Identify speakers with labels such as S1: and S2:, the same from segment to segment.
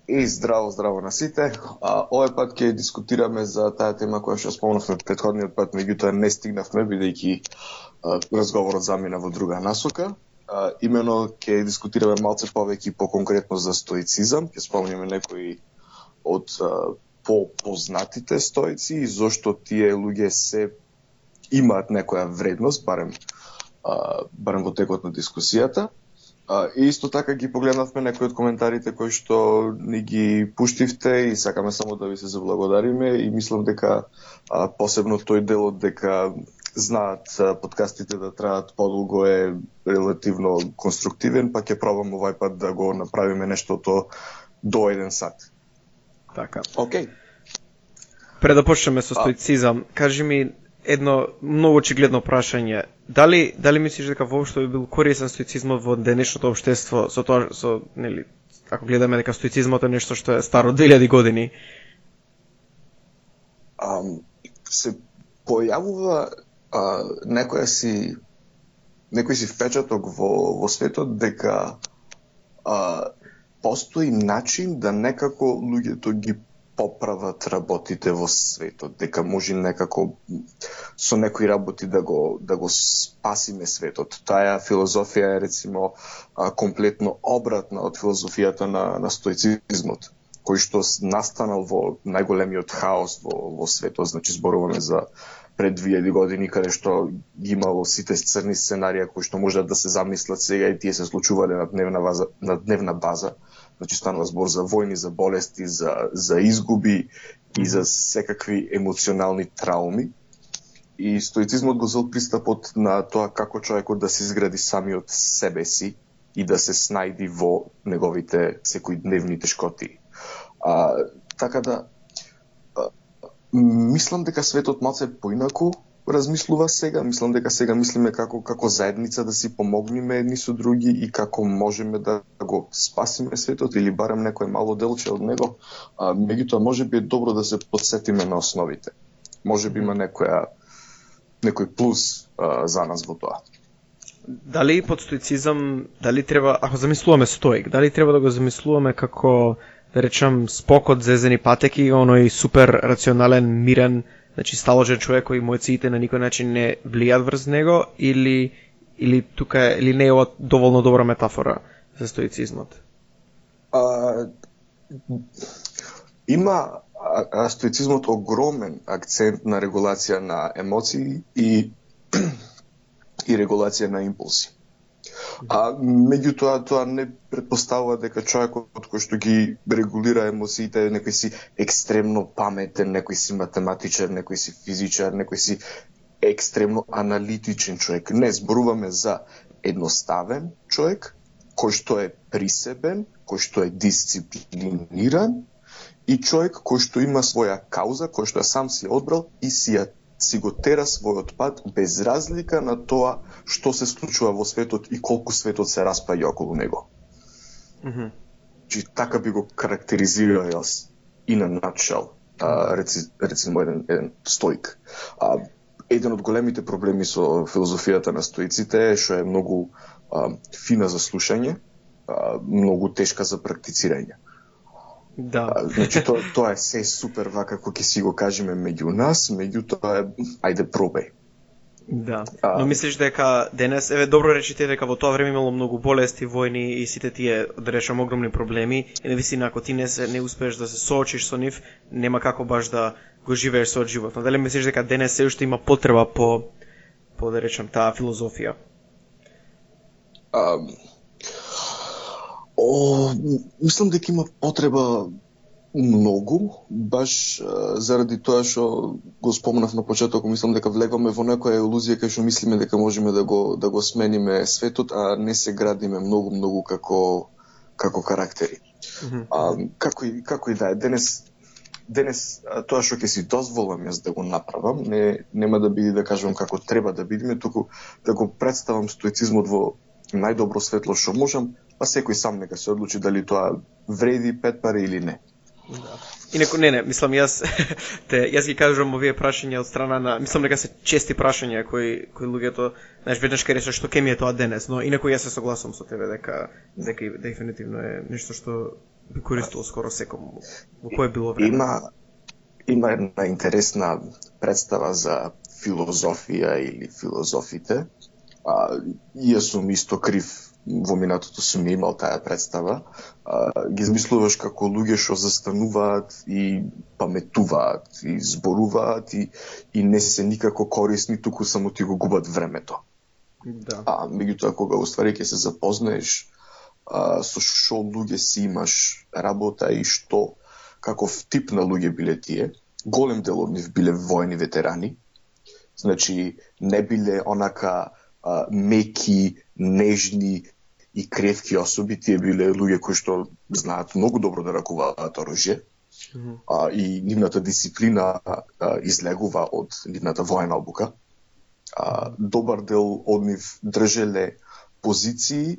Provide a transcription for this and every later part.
S1: Здраво на сите. Овој пат ќе дискутираме за таа тема која што спомнавме претходниот пат, меѓутоа не стигнавме бидејќи разговорот замина во друга насока. Имено ќе дискутираме малце повеќе по-конкретно за стоицизам, ќе спомнеме некои од по-познатите стоици и зошто тие луѓе се имаат некоја вредност, барем во текот на дискусијата. И исто така ги погледнавме некои од коментарите кои што ни ги пуштивте и сакаме само да ви се заблагодариме и мислам дека посебно тој делот дека знаат подкастите да траат подолго е релативно конструктивен, па ќе пробам овај пат да го направиме нештото до 1 сат.
S2: Така.
S1: Океј.
S2: Пред да почнеме со стоицизам, кажи ми едно многу очигледно прашање. Дали мислиш дека воопшто би бил корисен стоицизмот во денешното општество нели, ако гледаме дека стоицизмот е нешто што е старо 2000 години?
S1: Се појавува некој си впечаток во светот дека постои начин да некако луѓето ги поправат работите во светот, дека може некако со некои работи да го спасиме светот. Таа филозофија е рецимо комплетно обратна од филозофијата на стоицизмот, кој што настанал во најголемиот хаос во светот, значи зборуваме за пред 2000 години, каде што ги имало сите црни сценарија кои што можат да се замислат сега и тие се случувале на дневна база. Значи станува збор за војни, за болести, за изгуби и за секакви емоционални трауми. И стоицизмот го зел пристапот на тоа како човекот да се изгради самиот себе си и да се снајди во неговите секојдневни тешкоти. Така да, мислам дека светот малце поинаку размислува сега. Мислам дека сега мислиме како заедница да си помогнеме едни со други и како можеме да го спасиме светот или барем некој мало делче од него. Меѓутоа можеби е добро да се подсетиме на основите. Можеби има некој плюс за нас во тоа.
S2: Дали под стоицизам, дали треба, ако замислуваме стоик, дали треба да го замислуваме како, да речам, спокот, зезени патеки, оној супер рационален, мирен, значи сталожен човек кој емоциите на никој начин не влијат врз него, или не е ова доволно добра метафора за стоицизмот?
S1: Има стоицизмот огромен акцент на регулација на емоции и регулација на импулси. Меѓутоа тоа не претпоставува дека човекот кој што ги регулира емоциите некој си екстремно паметен, некој си математичар, некој си физичар, некој си екстремно аналитичен човек. Не, зборуваме за едноставен човек кој што е присебен, кој што е дисциплиниран и човек кој што има своја кауза, кој што сам си одбрал и си го тера својот пат без разлика на тоа што се случува во светот и колку светот се распаѓа околу него. Така би го карактеризирал јас и на начал, рецимо еден стоик. Еден од големите проблеми со филозофијата на стоиците е што е многу фина за слушање, многу тешка за практицирање.
S2: Да.
S1: Значи тоа е се супер вака како ќе си го кажеме меѓу нас, меѓутоа ајде пробај.
S2: Да. Но мислиш дека денес, добро речите дека во тоа време имало многу болести, војни и сите тие, да речам, огромни проблеми, и навистина ако ти не успееш да се соочиш со нив, нема како баш да го живееш со животот. Дали мислиш дека денес се уште има потреба по да речам таа филозофија?
S1: Мислам дека има потреба многу, баш заради тоа што го спомнав на почеток, мислам дека влегваме во некоја илузија кај што мислиме дека можеме да го смениме светот, а не се градиме многу како карактери. Како и да е, денес тоа што ќе си дозволам јас да го направам, нема да биде да кажам како треба да бидеме, туку да го представам стоицизмот во најдобро светло што можам, па секој сам нека се одлучи дали тоа вреди 5 пари или не.
S2: Да. Инаку не, мислам јас ги кажувам овие прашања од страна на, мислам дека се чести прашања кои луѓето, знаеш, веднаш ке речат што ке ми е тоа денес, но инаку јас се согласувам со тебе дека дефинитивно е нешто што би користил скоро секому. Во кое било време?
S1: Има една интересна представа за филозофија или филозофите. Ја сум исто крив, во минатото сум имал таа представа. Ги измислуваш како луѓе што застануваат и паметуваат и зборуваат и не се никако корисни, туку само ти го губат времето.
S2: Да.
S1: Меѓутоа кога уствари ќе се запознаеш со што луѓе си имаш работа и што каков тип на луѓе биле тие, голем дел од нив биле војни ветерани. Значи не биле онака меки, нежни и кревки особи, тие биле луѓе кои што знаат многу добро да ракуваат оружје. И нивната дисциплина излегува од нивната војна обука. Добар дел од нив држеле позиции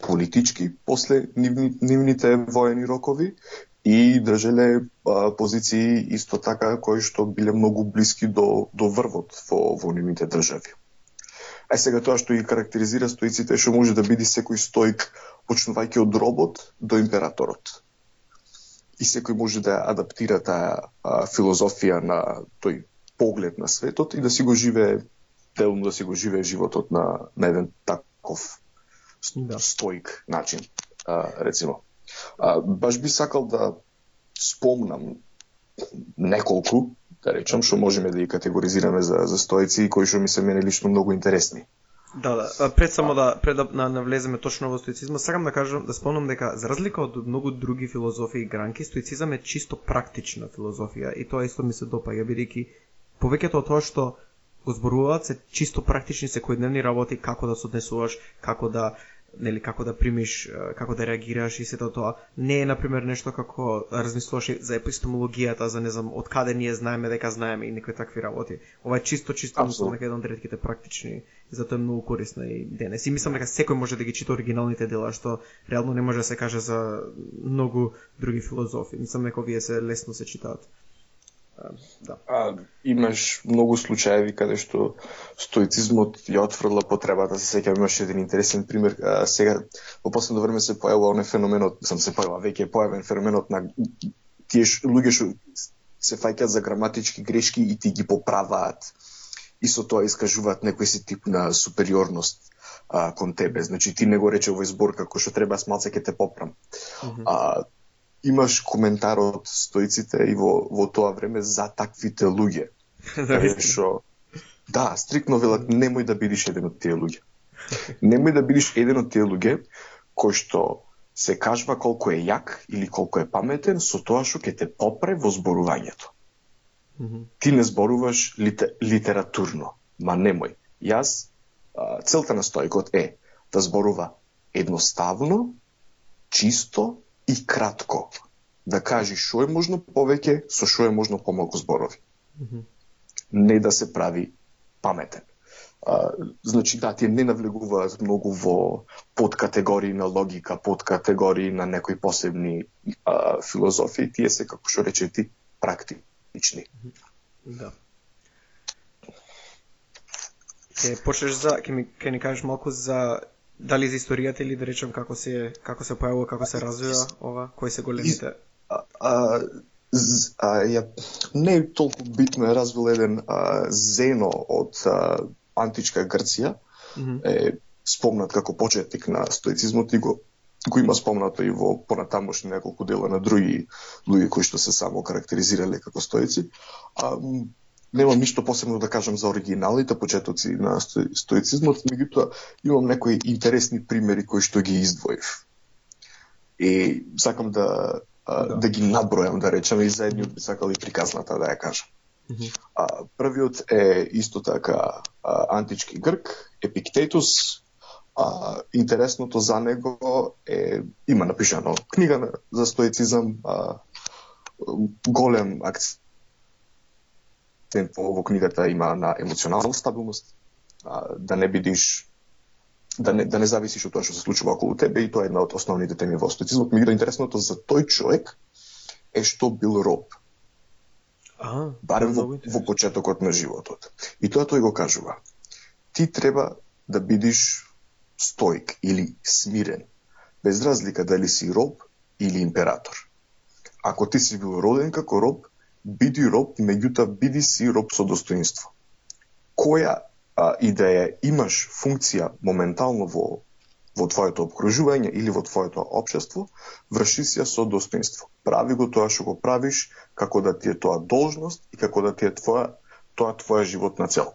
S1: политички после нивните воени рокови и држеле позиции исто така кои што биле многу блиски до врвот во нивните држави. Сега тоа што ги карактеризира стоиците што може да биде секој стоик почнувајќи од робот до императорот. И секој може да адаптира таа филозофија на тој поглед на светот и да си го живее, делно да си го живее животот на еден таков стоик начин, рецимо. Баш би сакал да спомнам неколку, да речам, што можеме да ги категоризираме за стоици и кои што ми се мене лично многу интересни.
S2: Да. Пред да навлеземе точно во стоицизма, сакам да кажам, да спомнам дека за разлика од многу други филозофии и гранки, стоицизам е чисто практична филозофија и тоа исто ми се допаѓа, бидејќи повеќето од тоа што го зборуваат се чисто практични секојдневни работи, како да се однесуваш, како да примиш, како да реагираш и сето тоа. Не е, например, нешто како размислуваш за епистемологијата, за не знам, од каде ние знаеме дека знаеме и некои такви работи. Ова е чисто мислам дека еден од ретките практични, и затоа е многу корисна и денес. И мислам дека секој може да ги чита оригиналните дела, што реално не може да се каже за многу други филозофи. Мислам дека овие се лесно се читаат. Да.
S1: Имаш многу случаеви каде што стоицизмот ја отфрла потребата. Се сеќавам, имаше еден интересен пример. Сега во последно време се појавува оној феноменот, веќе е појавен феноменот на тие луѓе што се фаќаат за граматички грешки и ти ги поправаат. И со тоа искажуваат некој си тип на супериорност кон тебе. Значи ти не го рече овој збор како што треба, малце ќе те поправам. Имаш коментар од стоиците и во тоа време за таквите луѓе. Стриктно велат, немој да бидеш еден од тие луѓе. Немој да бидеш еден од тие луѓе кој што се кажва колку е јак или колку е паметен со тоа што ќе те попре во зборувањето. Ти не зборуваш литературно, ма немој. Целта на стоикот е да зборува едноставно, чисто и кратко, да кажи што е можно повеќе, со што е можно помалку зборови. Не да се прави паметен. Значи, тие не навлегуваат многу во подкатегории на логика, подкатегории на некои посебни филозофии, тие се, како што рече ти, практични.
S2: Да. Ќе ни кажеш малку за дали за историјата или да речем како се појавува, како се развива ова, кои се големите?
S1: Не е толку битно, е развил еден Зено од античка Грција, е спомнат како почетник на стоицизмот и го има спомнато и во понатамошни неколку дела на други луѓе кои што се само карактеризирале како стоици. Немам ништо посебно да кажам за оригиналните почетоци на стоицизмот, меѓутоа имам некои интересни примери кои што ги издвоив. И сакам да ги набројам, да речем, и заедниот би сакал и приказната да ја кажам. Првиот е исто така антички Грк, Епиктетус. Интересното за него е, има напишано книга за стоицизам, голем акцент во книгата има на емоционална стабилност, да не бидиш, да не зависиш од тоа што се случува околу тебе, и тоа е една од основните теми во стоицизмот. Меѓутоа интересното за тој човек е што бил роб. Барем во почетокот на животот. И тоа тој го кажува. Ти треба да бидиш стоик или смирен, без разлика дали си роб или император. Ако ти си бил роден како роб, биди роб, меѓутоа биди си роб со достоинство. Која и да ја имаш функција моментално во твоето обкружување или во твоето општество, врши си ја со достоинство. Прави го тоа што го правиш, како да ти е тоа должност и како да ти е твоја животна цел.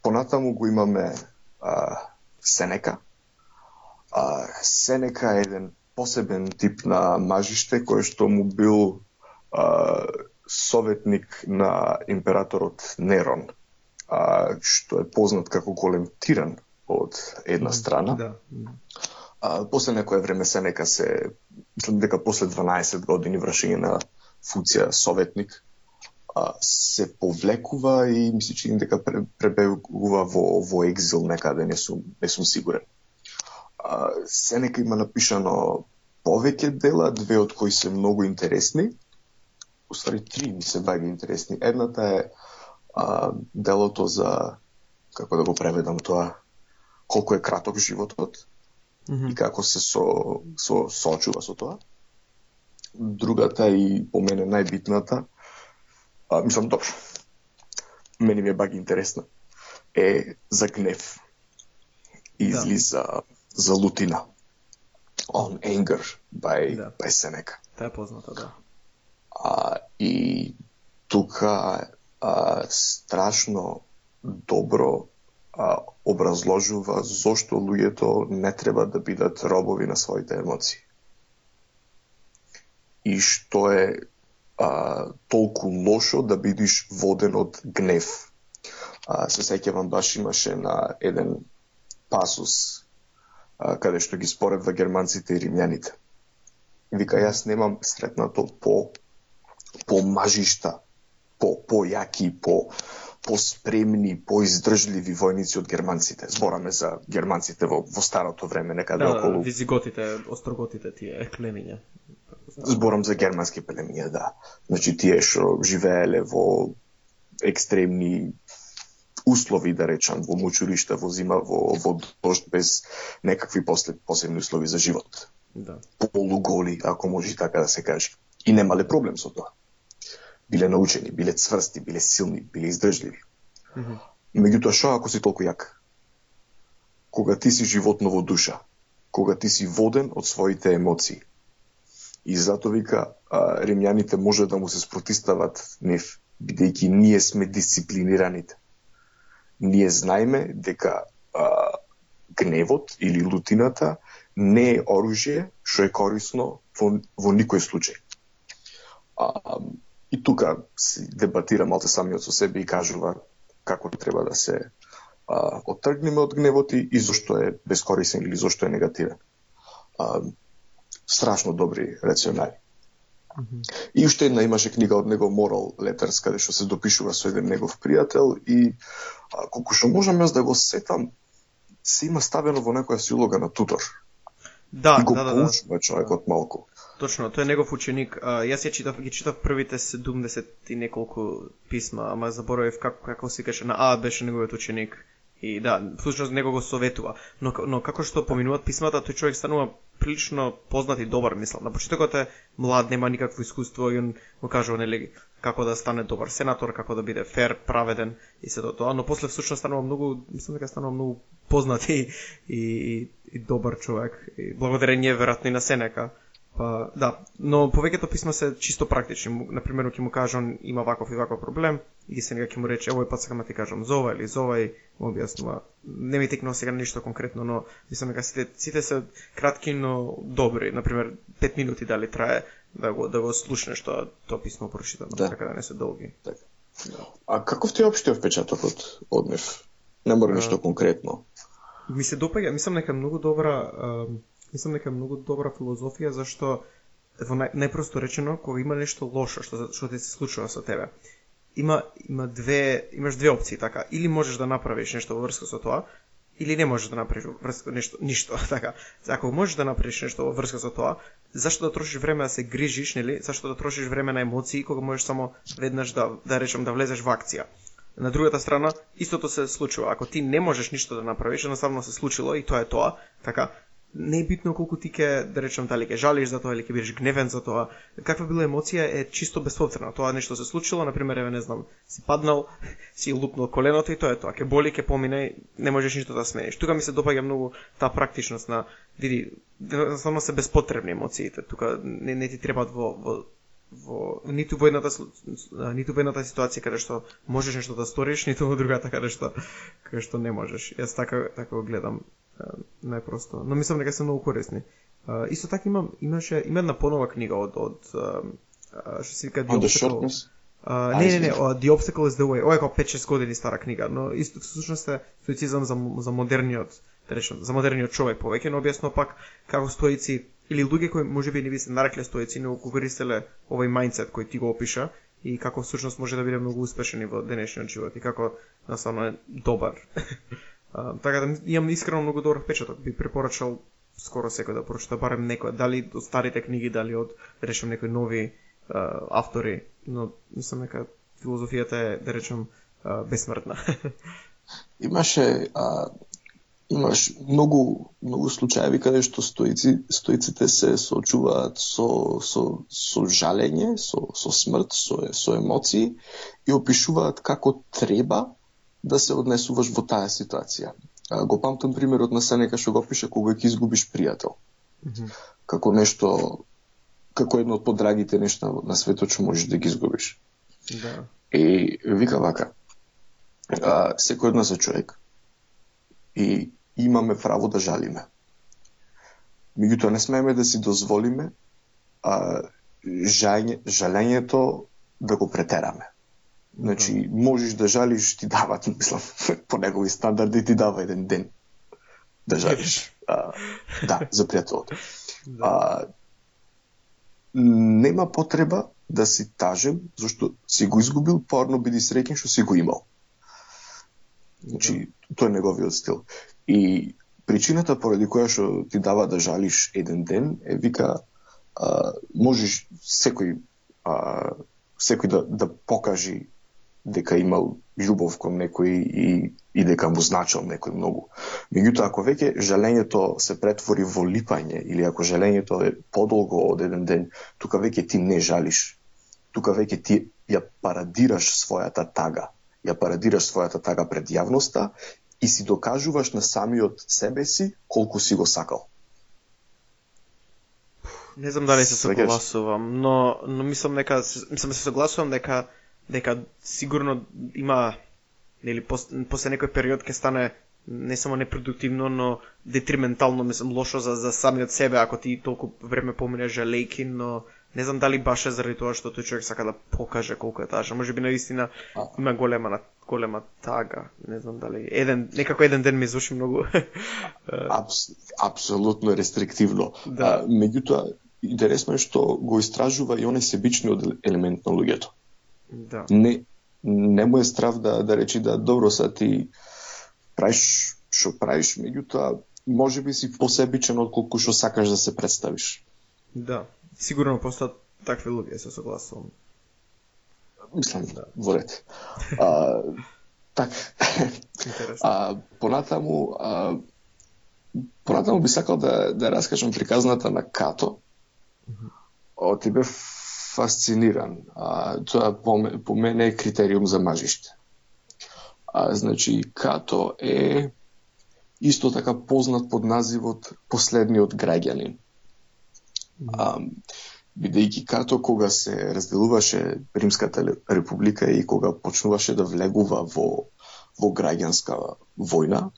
S1: Понатаму го имаме Сенека. Сенека е еден посебен тип на мажиште кој што му бил советник на императорот Нерон, што е познат како голем тиран од една страна.
S2: Да.
S1: После некое време Сенека мислам дека после 12 години вршење на функција советник, се повлекува и мисли че дека пребегува во екзил некаде, не сум сигурен. Сенека има напишано повеќе дела, две од кои се многу интересни. Уствари три ми се баѓа интересни. Едната е делото за, како да го преведам тоа, колку е краток животот и како се соочува со тоа. Другата и по мене најбитната, мислам добро, мене ми е баги интересна, е за гнев. Излиза за лутина. On anger by Seneca.
S2: Таа е позната, да.
S1: И тука страшно добро образложува зошто луѓето не треба да бидат робови на своите емоции. И што е толку лошо да бидиш воден од гнев. Се сеќавам, баш имаше на еден пасус каде што ги споредва германците и римјаните. Вика, јас немам сретнато по мажишта, по јаки, по спремни, по издржливи војници од германците. Збораме за германците во старото време, некаде околу...
S2: Визиготите, остроготите, тие племиња.
S1: Зборам за германски племиња, да. Значи, тие што живееле во екстремни услови, да речам, во мучуришта, во зима, во дожд, без некакви посебни услови за живот.
S2: Да.
S1: Полуголи, ако може така да се каже. И немале проблем со тоа. Биле научени, биле цврсти, биле силни, биле издржливи. Меѓутоа, шо ако си толку јак? Кога ти си животно во душа, кога ти си воден од своите емоции. И зато вика, римјаните може да му се спротистават нив, бидејќи ние сме дисциплинираните. Ние знаеме дека гневот или лутината не е оружје што е корисно во никој случај. И тука си дебатира малце самиот со себе и кажува како треба да се оттргнеме од гневот и зошто е бескорисен или зошто е негативен. Страшно добри рационали. И уште една имаше книга од него, Moral Letters, каде што се допишува со еден негов пријател и колку што можам јас да го сетам, се има ставено во некоја си улога на тутор.
S2: Да,
S1: и го поучува човекот малку.
S2: Точно, тој е негов ученик. Јас ги читав првите 70 и неколку писма, ама заборавив како се каже, на беше неговиот ученик. И да, всушност него го советува. Но како што поминуваат писмата, тој човек станува прилично познат и добар, мислам. На почетокот е млад, нема никакво искуство и он му кажува нели како да стане добар сенатор, како да биде фер, праведен и се тоа, но после всушност станува многу, мислам дека станува многу познат и добар човек. И благодарение веројатно и на Сенека. Па да, но повеќето писма се чисто практични. Например, ќе му кажам има ваков и ваков проблем, и Сенека ќе му рече овој пат сакам да ти кажам за ова или за ова и му објаснува. Не ми текнува сега ништо конкретно, но мислам дека сите се кратки, но добри. Например, 5 минути дали трае да го слушнеш тоа писмо прочитано, така да не се долги.
S1: Так. А каков ти е општиот впечатокот од нив? Не мора ништо конкретно.
S2: Ми се допаѓа, мислам дека многу добра филозофија, зашто најпросто речено, кога има нешто лошо што ти се случува со тебе, имаш две опции, така, или можеш да направиш нешто во врска со тоа, или не можеш да направиш во врска ништо, така. Ако можеш да направиш нешто во врска со тоа, зашто да трошиш време да се грижиш, нели? Зашто да трошиш време на емоции кога можеш само веднаш да речем да влезеш во акција. На другата страна, истото се случува. Ако ти не можеш ништо да направиш, едноставно се случило и тоа е тоа, така. не е битно колку ти ке, да речем, дали ке жалиш за тоа или ке бидеш гневен за тоа. Каква била емоција е чисто безповторна. Тоа нешто се случило, например, еве не знам, си паднал, си лупнал коленото и тоа е тоа. Ке боли, ке помине, не можеш ништо да смениш. Тука ми се допаѓа многу таа практичност на види, само се безпотребни емоциите. Тука не ти требаат во ниту во едната ситуација каде што можеш нешто да сториш, ниту во другата каде што не можеш. Јас така го гледам најпросто. Но мислам дека се многу корисни. Исто така има една понова книга од што се вика
S1: The Shortness.
S2: Не, The Obstacle is the Way. Ова е како 5-6 години стара книга, но исто всушност е стоицизам за модерниот, да речем, за модерниот човек повеќе, но објасно пак како стоици или луѓе кои можеби не би се нарекле стоици, но го користеле овој мајндсет кој ти го опиша и како всушност може да биде многу успешен и во денешниот живот и како насамно е добар. Така да имам искрено многу добар впечаток. Би препорачал скоро секој да прочита барем некој, дали од старите книги, дали од, да речем, некои нови автори, но мислам дека филозофијата е, да речем, бесмртна.
S1: Имаш многу случаеви каде што стоиците се соочуваат со жалење, со смрт, со емоции и опишуваат како треба да се однесуваш во таа ситуација. Го памтам примерот на Сенека што го пише кога ќе изгубиш пријател. Како едно од подрагите нешта на светот што можеш да ги изгубиш.
S2: Да.
S1: И вика вака, секој од нас е човек и имаме право да жалиме. Меѓутоа не смееме да си дозволиме жалењето да го претераме. Значи, можеш да жалиш, ти дават, мислам, по негови стандарди ти дава еден ден да жалиш. За пријателот. Нема потреба да си тажен, зашто си го изгубил, порно биди среќен што си го имал. Значи, тоа е неговиот стил. И причината поради која што ти дава да жалиш еден ден е вика можеш секој да покажи дека имал љубов кон некој и дека му значил некој многу. Меѓутоа, ако веќе жалењето се претвори во липање или ако жалењето е подолго од еден ден, тука веќе ти не жалиш. Тука веќе ти ја парадираш својата тага. Ја парадираш својата тага пред јавноста и си докажуваш на самиот себе си колку си го сакал.
S2: Не знам дали се согласувам, но мислам се согласувам дека сигурно има, нели, после некој период ќе стане не само непродуктивно, но детриментално, мислам, лошо за самиот себе ако ти толку време поминеш жалејки, но не знам дали баш е заради тоа што тој човек сака да покаже колку е тажен. Можеби наистина има голема тага. Не знам дали некако еден ден ми звучи многу.
S1: Апсолутно рестриктивно. Да. Меѓутоа, интересно е што го истражува и оној себичниот елемент на луѓето.
S2: Да.
S1: Не му е страв да речи да добро са ти правиш што правиш, меѓутоа можеби си посебичен отколку што сакаш да се представиш.
S2: Да. Сигурно постојат такви луѓе, се согласувам.
S1: Мислам, во ред. Така. Понатаму би сакал да раскажам приказната на Като. Ти бе фасциниран. Тоа по мене е критериум за мажиште. Значи, Като е исто така познат под називот последниот граѓанин. Бидејќи Като кога се разделуваше Римската република и кога почнуваше да влегува во граѓанска војна,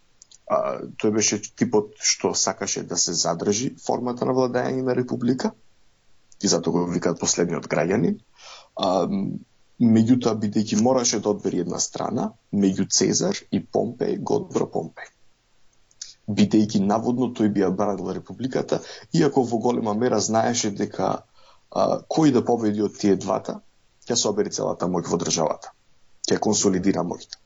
S1: тој беше типот што сакаше да се задржи формата на владење на република и затоа го викаат последниот граѓанин. Меѓутоа, бидејќи мораше да одбери една страна, меѓу Цезар и Помпеј го одбра Помпеј. Бидејќи наводно тој би ја бранил републиката, иако во голема мера знаеше дека кој да победи од тие двата, ќе собери целата моќ во државата. Ќе консолидира моќта.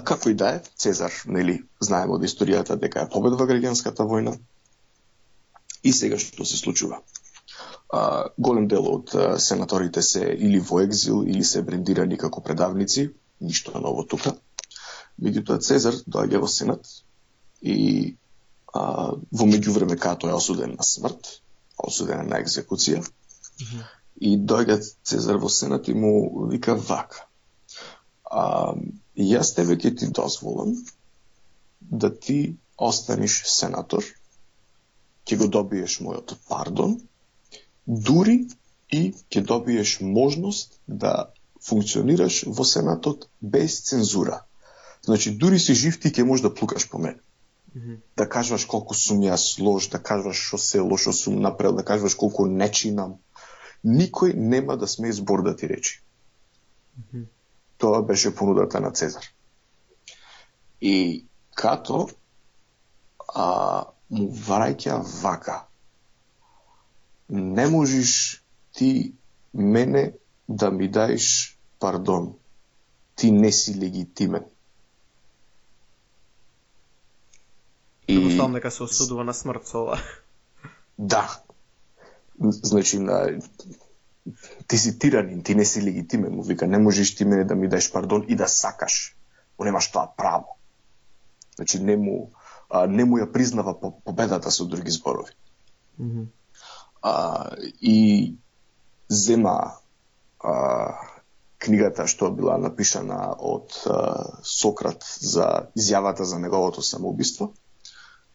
S1: Како и да е, Цезар, нели, знаеме од историјата дека ја победува граѓанската војна. И сега што се случува? Голем дел од сенаторите се или во екзил, или се брендирани како предавници, ништо ново тука. Меѓутоа Цезар доаѓа во Сенат и во меѓувреме Като е осуден на смрт, осуден на екзекуција, и доаѓа Цезар во Сенат и му вика вака. Јас тебе ќе ти дозволам да ти останеш сенатор, ќе го добиеш мојот пардон, дури и ќе добиеш можност да функционираш во Сенатот без цензура. Значи, дури си жив, ти ќе можеш да плукаш по мене. Да кажуваш колку сум јас лош, да кажуваш што се лошо сум направил, да кажуваш колку не чинам. Никој нема да смее збор да ти речи. Тоа беше понудата на Цезар. И Като му враќа вака. Не можеш ти мене да ми даеш пардон. Ти не си легитимен.
S2: Предпоставам дека се осудува на смрт со ова.
S1: Да. Значи, ти си тиранин, ти не си легитимен, му вика, не можеш ти мене да ми даеш пардон и да сакаш. Му немаш тоа право. Значи, не му ја признава победата со други зборови. И зема книгата што била напишана од Сократ за изјавата за неговото самоубиство,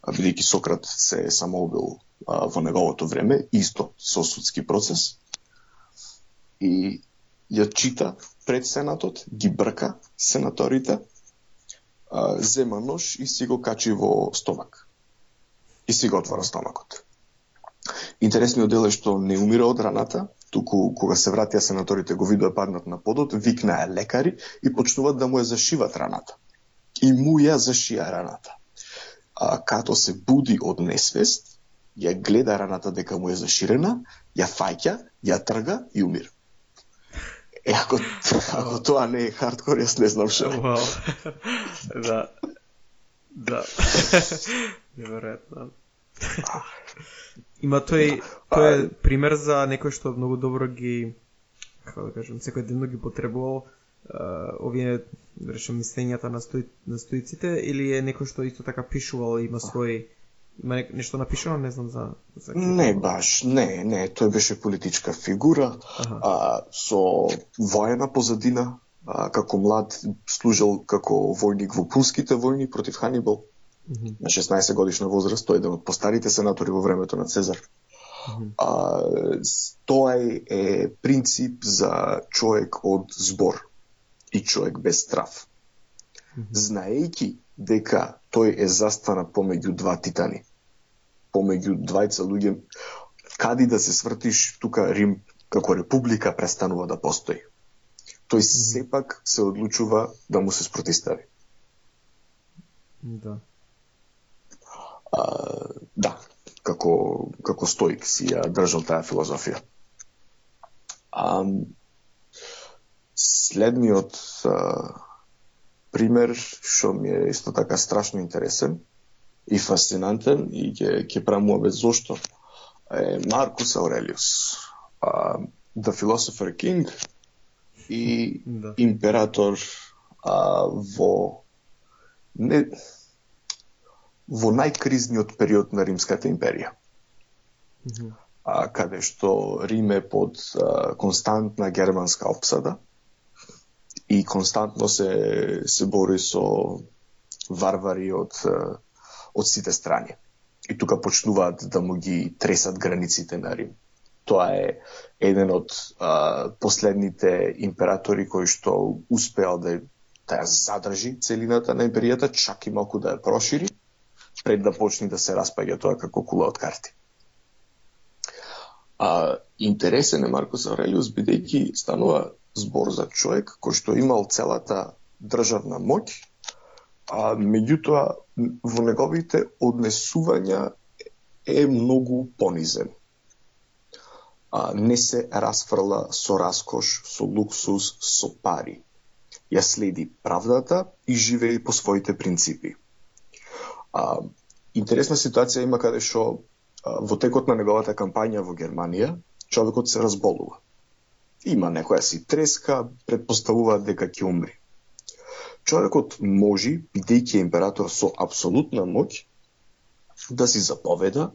S1: бидејќи Сократ се самоубил во неговото време, исто со судски процес, и ја чита пред Сенатот, ги брка сенаторите, зема нож и си го качи во стомак. И си го отвора стомакот. Интересниот дел е што не умира од раната, туку кога се вратија сенаторите го видоа паднат на подот, викнаа лекари и почнуваат да му ја зашиват раната. И му ја зашија раната. Като се буди од несвест, ја гледа раната дека му е заширена, ја фаќа, ја трга и умира. Ако тоа не е хардкор, јас не знам што.
S2: Да. Неверојатно. Има тој е пример за некој што многу добро ги, како да кажам, секој ден ги потребувал овие, речем, мислењата на стоиците, или е некој што исто така пишувал, има нешто напишано, не знам за
S1: Не баш, не, тој беше политичка фигура, со воена позадина, како млад служил како војник во пунските војни против Ханибал. На 16 годишна возраст, тој е еден од постарите сенатори во времето на Цезар. Тоа е принцип за човек од збор и човек без страв. Знаејќи дека тој е застана помеѓу два титани, помеѓу двајца луѓе, кади да се свртиш, тука Рим како република престанува да постои. Тој сепак се одлучува да му се спротистави. Да, како стоик си ја држал таа филозофија. Следниот пример, што ми е исто така страшно интересен и фасцинантен, и ќе прамуваме зошто, е Маркус Аурелиус, The Philosopher King и император во најкризниот период на Римската империја. Каде што Рим е под константна германска опсада и константно се бори со варвари од сите страни. И тука почнуваат да му ги тресат границите на Рим. Тоа е еден од последните императори кои што успеал да ја задржи целината на империјата, чак и малку да ја прошири, пред да почне да се распаѓа тоа како кула од карти. Интересен е Маркус Аурелиус, бидејќи станува збор за човек кој што имал целата државна моќ, меѓутоа во неговите однесувања е многу понизен. Не се расфрла со раскош, со луксус, со пари. Ја следи правдата и живее по своите принципи. Интересна ситуација има каде што во текот на неговата кампања во Германија човекот се разболува. Има некоја си треска, предпоставуваат дека ќе умри. Човекот може, бидејќи е император со апсолутна моќ, да си заповеда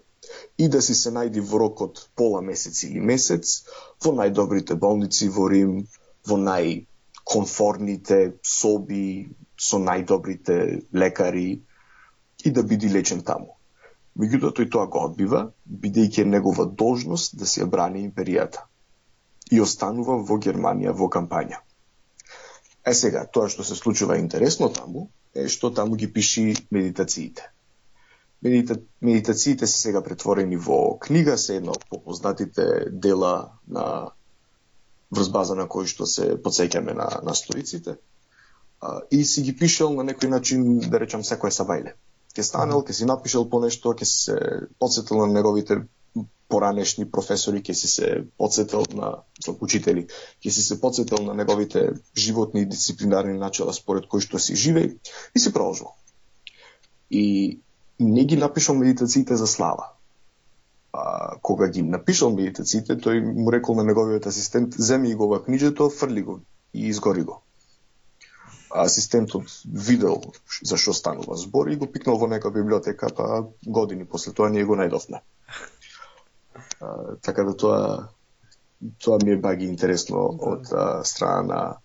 S1: и да си се најди во рок од пола месец или месец во најдобрите болници во Рим, во најконфортните соби, со најдобрите лекари и да биде лечен таму. Меѓутоа тој тоа го одбива, бидејќи е негова должност да си ја брани империјата. И останува во Германија во кампања. Сега, тоа што се случува интересно таму, е што таму ги пиши медитациите. Медитациите се сега претворени во книга, се една од попознатите дела на врз база на кои што се потсеќаме на стоиците. И си ги пишел на некој начин, да речам, секој сабајле. Ке станел, ке си напишел по нешто, ке се подсетил на неговите поранешни професори, ке си се подсетил на учители, ке си се подсетил на неговите животни и дисциплинарни начала според кои што си живеј и си продолжил. И не ги напишал медитациите за слава. Кога ги напишал медитациите, тој му рекол на неговиот асистент: земи го ова книжето, фрли го и изгори го. Асистентот видел за што станува збор и го пикнал во нека библиотека, па години после тоа ние го најдовме. Така да тоа ми е баги интересно од страна на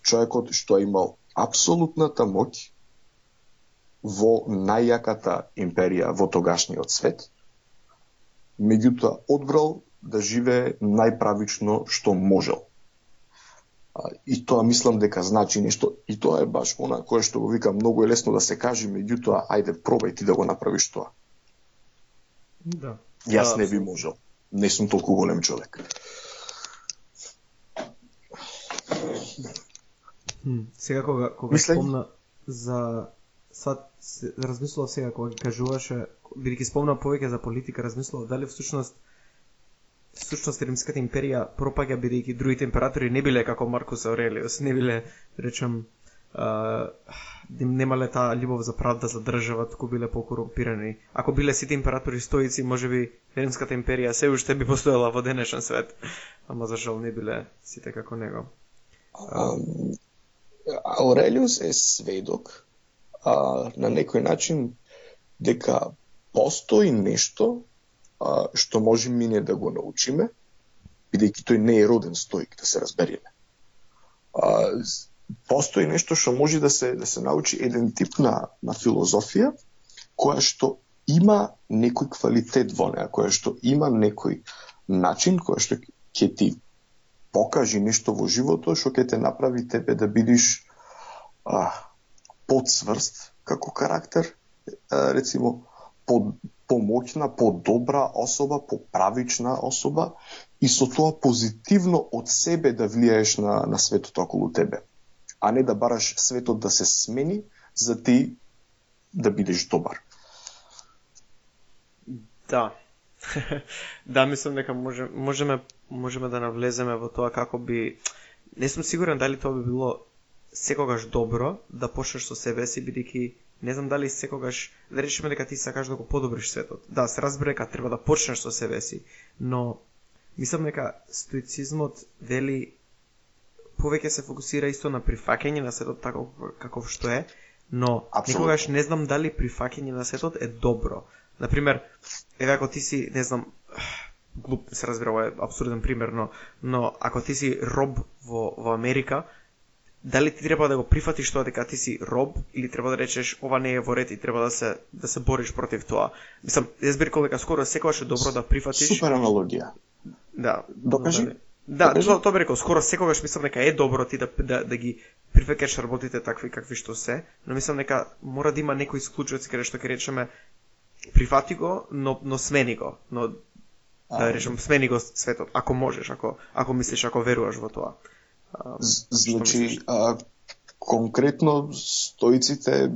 S1: човекот што имал апсолутната моќ во најјаката империја во тогашниот свет, меѓутоа одбрал да живее најправично што можел. И тоа мислам дека значи нешто, и тоа е баш она кое што го викам, многу е лесно да се каже, меѓутоа ајде пробај ти да го направиш тоа.
S2: Да.
S1: Јас не би можел. Не сум толку голем човек.
S2: Сега кога спомна за размислував сега кога ги кажуваше, бидејќи спомна повеќе за политика, размислував дали всушност Римската империја пропаѓа бидејќи другите императори не биле како Маркус Аурелиус, не биле, речам, немале таа љубов за правда за држава, туку биле покорумпирани. Ако биле сите императори стоици, можеби Римската империја се уште би постоела во денешен свет, ама за жал не биле сите како него.
S1: Аурелиус е сведок на некој начин дека постои нешто што можеме ние да го научиме, бидејќи тој не е роден стоик, да се разбереме. Постои нешто што може да се научи, еден тип на филозофија, која што има некој квалитет во неа, која што има некој начин, која што ќе ти покажи нешто во животот, што ќе те направи тебе да бидиш подсврст како карактер, рецимо, помоќна, подобра особа, поправична особа и со тоа позитивно од себе да влијаеш на светот околу тебе, а не да бараш светот да се смени за ти да бидеш добар.
S2: Да. Да, мислам дека можеме да навлеземе во тоа како би... Не сум сигурен дали тоа би било секогаш добро да почнеш со себе си, бидејќи не знам дали секогаш, да речеме дека ти сакаш да го подобриш светот. Да, се разбере дека треба да почнеш со себе си, но мислам дека стоицизмот вели повеќе се фокусира исто на прифаќање на светот таков каков што е, но никогаш не знам дали прифаќање на светот е добро. Например, еве ако ти си, не знам, глуп се разбира, ова е абсурден пример, но ако ти си роб во Америка, дали ти треба да го прифатиш тоа дека ти си роб или треба да речеш ова не е во ред и треба да се бориш против тоа. Мислам, јас би рекол дека скоро секогаш е добро да прифатиш.
S1: Супер аналогија.
S2: Да.
S1: Докажи.
S2: Да, тоа би рекол, скоро секогаш мислам дека е добро ти да ги прифаќаш работите такви какви што се, но мислам дека мора да има некои исклучоци каде што ќе речеме прифати го, но смени го, но да речем смени го светот, ако можеш, ако мислиш, ако веруваш во тоа.
S1: Значи, конкретно стоиците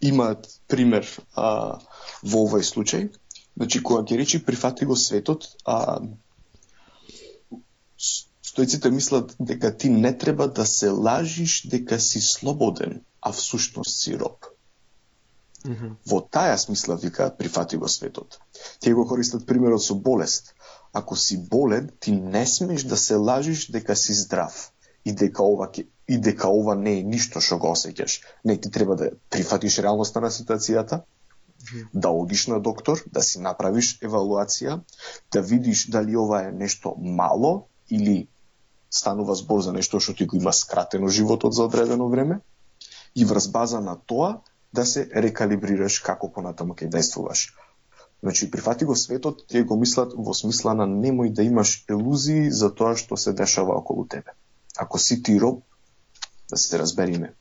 S1: имаат пример во овој случај. Значи, кога ќе речи прифати го светот, стоиците мислат дека ти не треба да се лажиш дека си слободен, а всушност си роб. Во таа смисла викаат прифати го светот. Тие го користат примерот со болест. Ако си болен, ти не смеш да се лажиш дека си здрав и дека ова не е ништо што го осеќаш. Не, ти треба да прифатиш реалноста на ситуацијата Да одиш на доктор, да си направиш евалуација, да видиш дали ова е нешто мало или станува збор за нешто што ти го има скратено животот за одредено време и врз база на тоа да се рекалибрираш како понатаму ќе действуваш. Значи, прифати го светот, тие го мислат во смисла на немој да имаш илузии за тоа што се дешава околу тебе. Ако си ти роб, да се разбериме,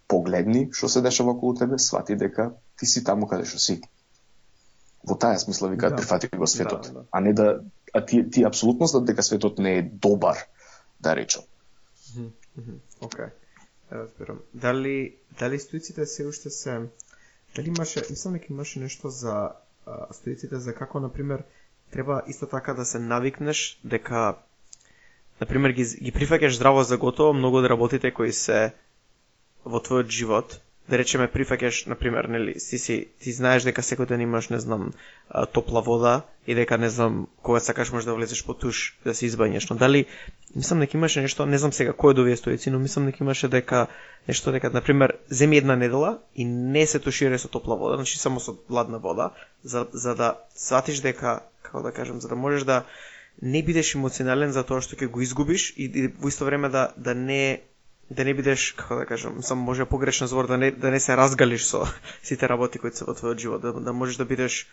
S1: погледни што се дешава околу тебе, свати дека ти си таму каде што си. Во таа смисла викаат прифати го светот, а не да ти апсолутно знаат дека светот не е добар, да речам.
S2: Океј. Разбирам. Дали стоиците се уште се дали имаше, мислам дека имаше нешто за стоиците за како на пример треба исто така да се навикнеш дека на пример ги прифаќаш здраво за готово многу од работите кои се во твојот живот, да речеме прифаќаш на пример, нели, ти знаеш дека секој ден имаш, не знам, топла вода и дека не знам кога сакаш можеш да влезеш по туш да се избањеш, но дали мислам дека имаше нешто, не знам сега кој од овие стоици, но мислам дека имаше дека нешто дека на пример земи една недела и не се туширај со топла вода, значи само со ладна вода, за да сватиш дека, како да кажам, за да можеш да не бидеш емоционален за тоа што ќе го изгубиш и во исто време да не бидеш, како да кажам, само може погрешен збор, да не се разгалиш со сите работи кои се во твојот живот, да можеш да бидеш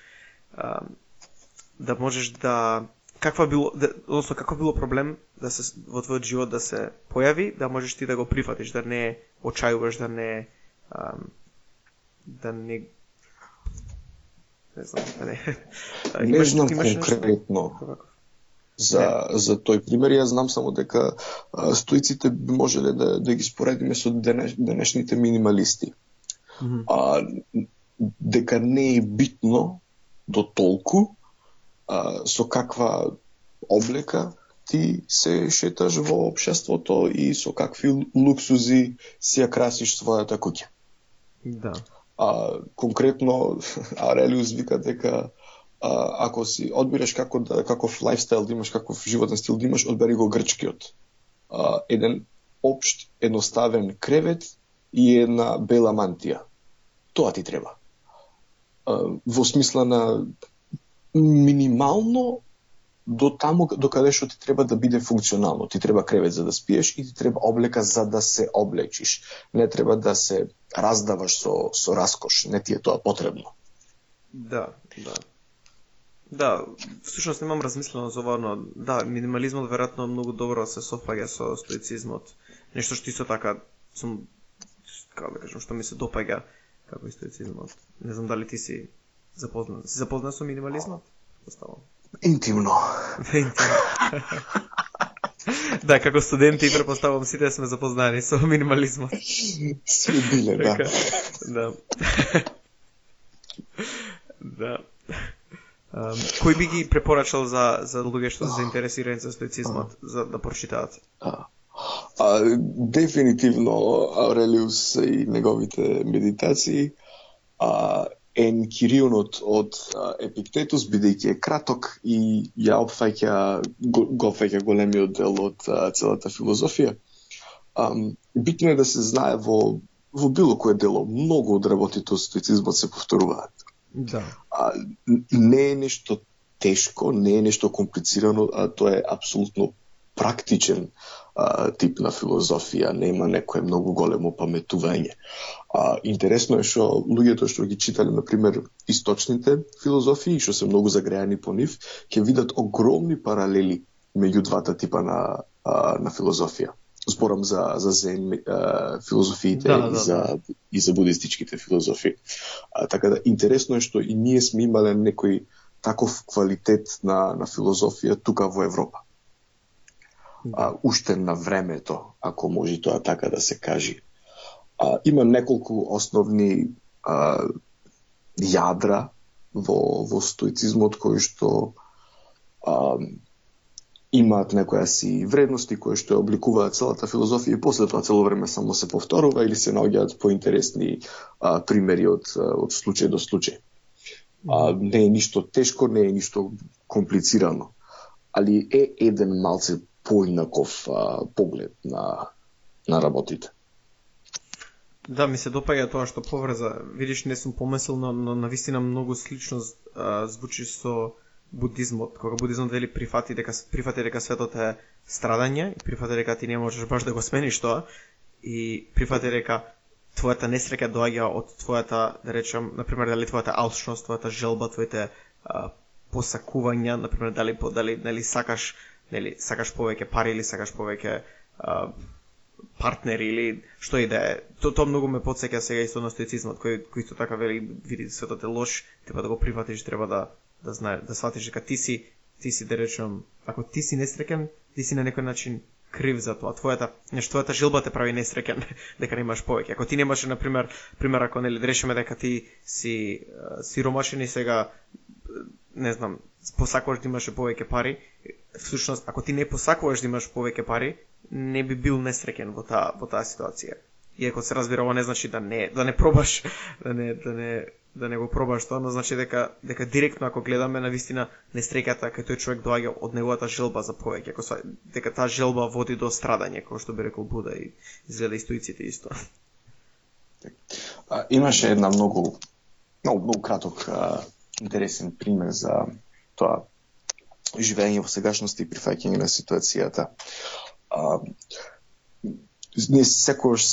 S2: да можеш да каква било проблем да се во твојот живот да се појави, да можеш ти да го прифатиш, да не очајуваш, да не знам,
S1: не знам конкретно. За тој пример, јас знам само дека стоиците би можеле да ги споредиме со денешните минималисти. Дека не е битно до толку со каква облека ти се шеташ во општеството и со какви луксузи си ја красиш својата куќа.
S2: Да.
S1: Конкретно Арелиус вика дека ако си одбираш каков лајфстайл да имаш, каков животен стил да имаш, одбери го грчкиот. Еден општ, едноставен кревет и една бела мантија. Тоа ти треба. Во смисла на минимално до таму до каде што ти треба да биде функционално. Ти треба кревет за да спиеш и ти треба облека за да се облечиш. Не треба да се раздаваш со раскош. Не ти е тоа потребно.
S2: Да, всушност немам размислено за ова, но да, минимализмот веројатно многу добро се софаѓа со стоицизмот. Нешто што исто така сум, како да кажам, што ми се допаѓа како и стоицизмот. Не знам дали ти си запознат. Си запознат со минимализмот? Поставам.
S1: Интимно.
S2: Да, како студенти претпоставувам сите сме запознани со минимализмот.
S1: Сме биле, да.
S2: Да. Да. Кој би ги препорачал за луѓе што се заинтересирани за стоицизмот за да прочитаат?
S1: Дефинитивно Аурелиус и неговите медитации, Енкирионот од Епиктетус, бидејќи е краток и ја го опфаќа големиот дел од целата филозофија. Битно е да се знае во било кое дело, многу од работите од стоицизмот се повторуваат.
S2: Да.
S1: Не е нешто тешко, не е нешто комплицирано, тоа е апсолутно практичен тип на филозофија, нема некое многу големо паметување. Интересно е што луѓето што ги читале, например, источните филозофии, што се многу загреани по нив, ќе видат огромни паралели меѓу двата типа на филозофија. Зборам за зен филозофиите и за будистичките филозофии. Така да, интересно е што и ние сме имале некој таков квалитет на филозофија тука во Европа. Уште на времето, ако може тоа така да се кажи. Има неколку основни јадра во стоицизмот кои што имаат некоја си вредности кои што обликуваат целата филозофија и после тоа цело време само се повторува или се наоѓаат поинтересни примери од случај до случај. Не е ништо тешко, не е ништо комплицирано, али е еден малце поинаков поглед на работите.
S2: Да, ми се допаѓа тоа што поврза. Видиш, не сум помислил, но навистина многу слично звучи со будизмот. Кога будизмот вели прифати дека светот е страдање и прифати дека ти не можеш баш да го смениш тоа и прифати дека твојата несреќа доаѓа од твојата, да речам, например, дали твојата алчност, твојата желба, твоите посакувања, например, дали сакаш повеќе пари или сакаш повеќе партнери или што и да е. Тоа многу ме потсеќа сега исто на стоицизмот, кој исто така вели, види светот е лош, треба да го прифатиш, треба да знаеш, да сватиш дека ти си да речем, ако ти си несреќен, ти си на некој начин крив за тоа. Твојата желба те прави несреќен дека немаш повеќе. Ако ти немаш, например, ако да решиме дека ти си сиромашен и сега не знам, посакуваш да имаш повеќе пари, всушност ако ти не посакуваш да имаш повеќе пари, не би бил несреќен во таа ситуација. Иако се разбира, ова не значи да не пробаш, да не го пробаш тоа, но значи дека директно ако гледаме навистина несреќата кај тој човек доаѓа од неговата желба за повеќе, дека таа желба води до страдање, како што би рекол Буда и изгледа и стоиците исто.
S1: Имаше една многу краток интересен пример за тоа живење во сегашност и прифаќање на ситуацијата. Ние секогаш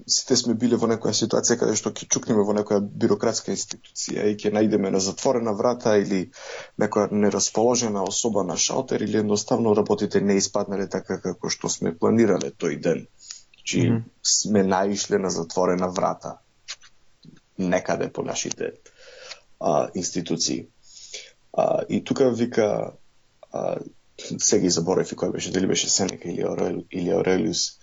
S1: сите сме биле во некоја ситуација каде што ќе чукнеме во некоја бирократска институција и ќе најдеме на затворена врата или некоја нерасположена особа на шалтер или едноставно работите не испаднале така како што сме планирале тој ден. Значи сме наишле на затворена врата некаде по нашите институции. И тука вика, сега и заборев и кој беше, дали беше Сенека или Аурелиус,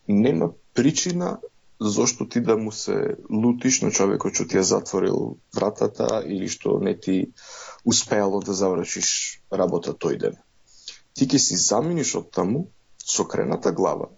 S1: нема причина зошто ти да му се лутиш на човекот што ти ја затворил вратата или што не ти успеало да завршиш работа тој ден. Ти ќе си заминиш од таму со крената глава,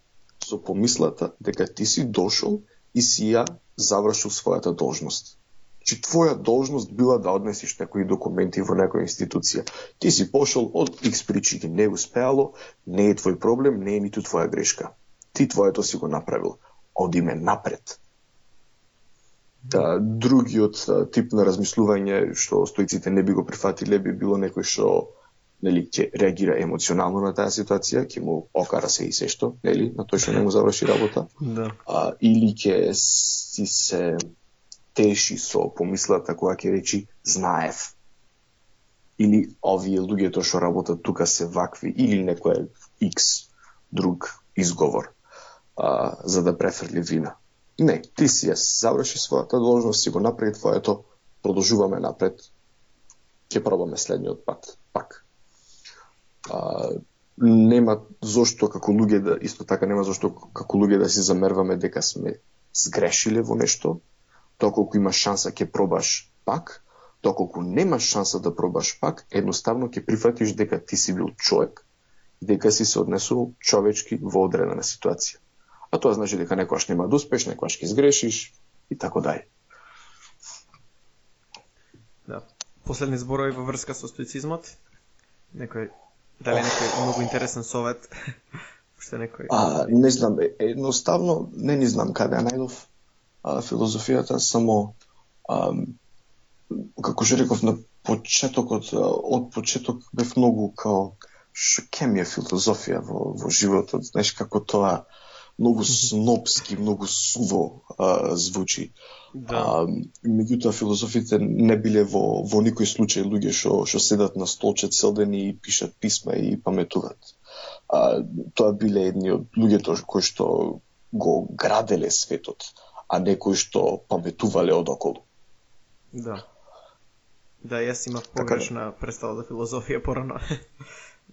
S1: со помислата дека ти си дошол и си ја завршил својата должност. Че твоја должност била да однесиш некои документи во некоја институција. Ти си пошол од X причини, не успеало, не е твој проблем, не е ниту твоја грешка. Ти твоето си го направил. Одиме напред. Другиот тип на размислување што стоиците не би го прифатиле би било некој што ќе реагира емоционално на таа ситуација, ќе му окара се и се што, на тој што не му заврши работа.
S2: Да.
S1: Или ќе си се теши со помислата која ќе речи знаев. Или овие луѓето што работат тука се вакви, или некој X друг изговор за да префрли вина. Не, ти си ја заврши својата должност, си го направи твоето, продолжуваме напред, ќе пробаме следниот пат, пак. Нема зошто како луѓе исто така нема зошто како луѓе да си замерваме дека сме сгрешиле во нешто. Доколку имаш шанса ќе пробаш пак, доколку немаш шанса да пробаш пак, едноставно ќе прифатиш дека ти си бил човек, дека си се однесувал човечки во одредена ситуација. А тоа значи дека некојаш нема да успеш, некојаш ќе сгрешиш и така дај.
S2: Да. Последни зборови во врска со стоицизмот? Дали некој многу интересен совет? Уште некој?
S1: Не знам, едноставно не знам каде ја најдов филозофијата, само како што реков на почетокот, од почеток бев многу као ќе ми е филозофија во животот, знаеш како тоа многу снопски, многу суво звучи.
S2: Да.
S1: Меѓутоа филозофите не биле во никој случај луѓе што седат на столче цел ден и пишат писма и паметуваат. Тоа биле едни од луѓето кои што го граделе светот, а некои што паметувале одоколу.
S2: Да. Да, јас имав погрешна представа за филозофија порано.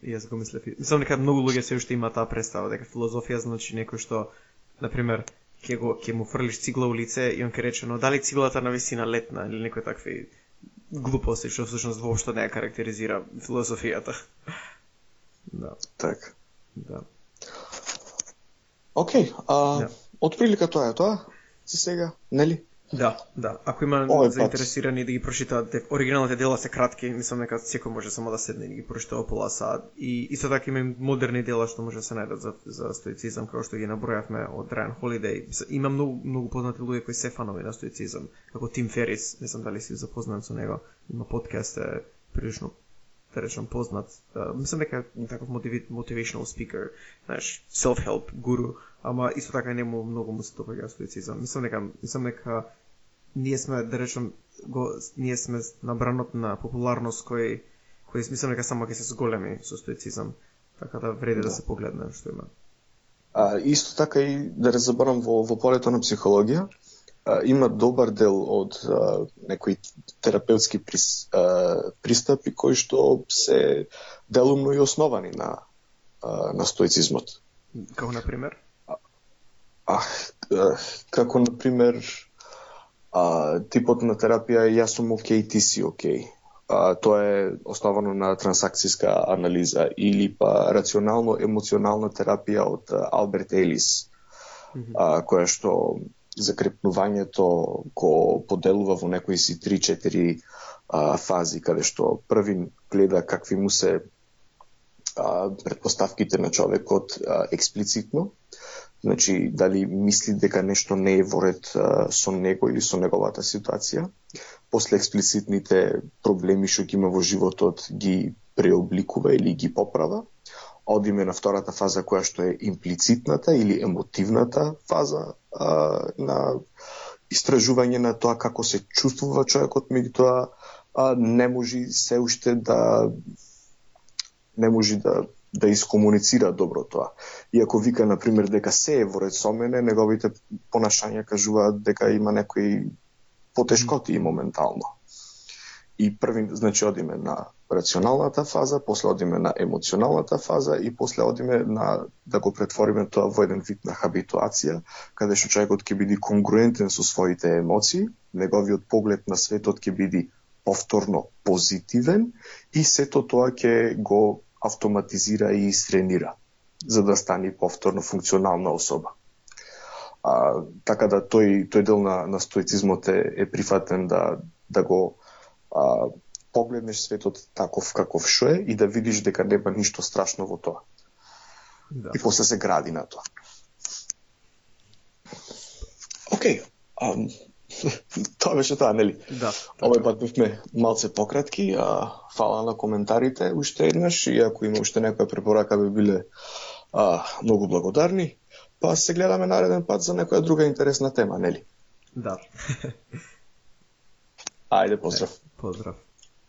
S2: Јас го мислев. Мислам дека многу луѓе се уште има таа представа дека филозофија значи некој што, например, ќе му фрлиш цигла у лице и он ќе рече, но дали циглата навистина летна или некои такви глупости што всушност воопшто не ја карактеризира филозофијата. Да.
S1: Така.
S2: Да.
S1: Океј, од прилика тоа е тоа за сега, нели?
S2: Да. Ако има заинтересирани да ги прочитаат, оригиналните дела се кратки, мислам дека секој може само да седне и да ги прочита во пола сат. И исто така има модерни дела што може да се најдат за стоицизам, како што ги набројавме од Райан Холидеј. Има многу познати луѓе кои се фанови на стоицизам, како Тим Ферис, не знам дали си запознат со него, има подкаст, прилично да речам познат. Мислам дека е таков motivational speaker, знаеш, self-help guru, ама исто така нему многу му се допаѓа стоицизам. Мислам дека ние сме, да речем, ние сме на бранот на популарност кој мислам дека само ќе се зголеми со стоицизам, така да вреди да се погледне што има.
S1: Исто така и да не заборам во полето на психологија, има добар дел од некои терапевтски пристапи кои што се делумно и основани на стоицизмот.
S2: Како на пример?
S1: Како на пример типот на терапија е јас сум окей, ти си окей. Тоа е основано на трансакцијска анализа или па рационално-емоционална терапија од Алберт Елис, која што закрепнувањето го поделува во некои си 3-4 фази, каде што првин гледа какви му се предпоставките на човекот експлицитно, значи дали мисли дека нешто не е во ред со него или со неговата ситуација, после експлицитните проблеми што ги има во животот ги преобликува или ги поправа, одиме на втората фаза која што е имплицитната или емотивната фаза на истражување на тоа како се чувствува човекот, меѓутоа не може се уште да искомуницира добро тоа. Иако вика, например, дека се е во ред со мене, неговите понашања кажуваат дека има некои потешкоти моментално. И први, значи, одиме на рационалната фаза, после одиме на емоционалната фаза и после одиме на да го претвориме тоа во еден вид на хабитуација, каде што човекот ќе биде конгруентен со своите емоции, неговиот поглед на светот ќе биде повторно позитивен и сето тоа ќе го автоматизира и истренира, за да стане повторно функционална особа. Така да тој дел на стоицизмот е прифатен да го погледнеш светот таков каков што е и да видиш дека нема ништо страшно во тоа. Да. И после се гради на тоа. Океј. Тоа беше тоа, нели?
S2: Да.
S1: Овој пат бевме малце пократки, фала на коментарите уште еднаш и ако има уште некоја препорака би биле многу благодарни. Па се гледаме нареден пат за некоја друга интересна тема, нели?
S2: Да.
S1: Ајде, поздрав.
S2: Поздрав.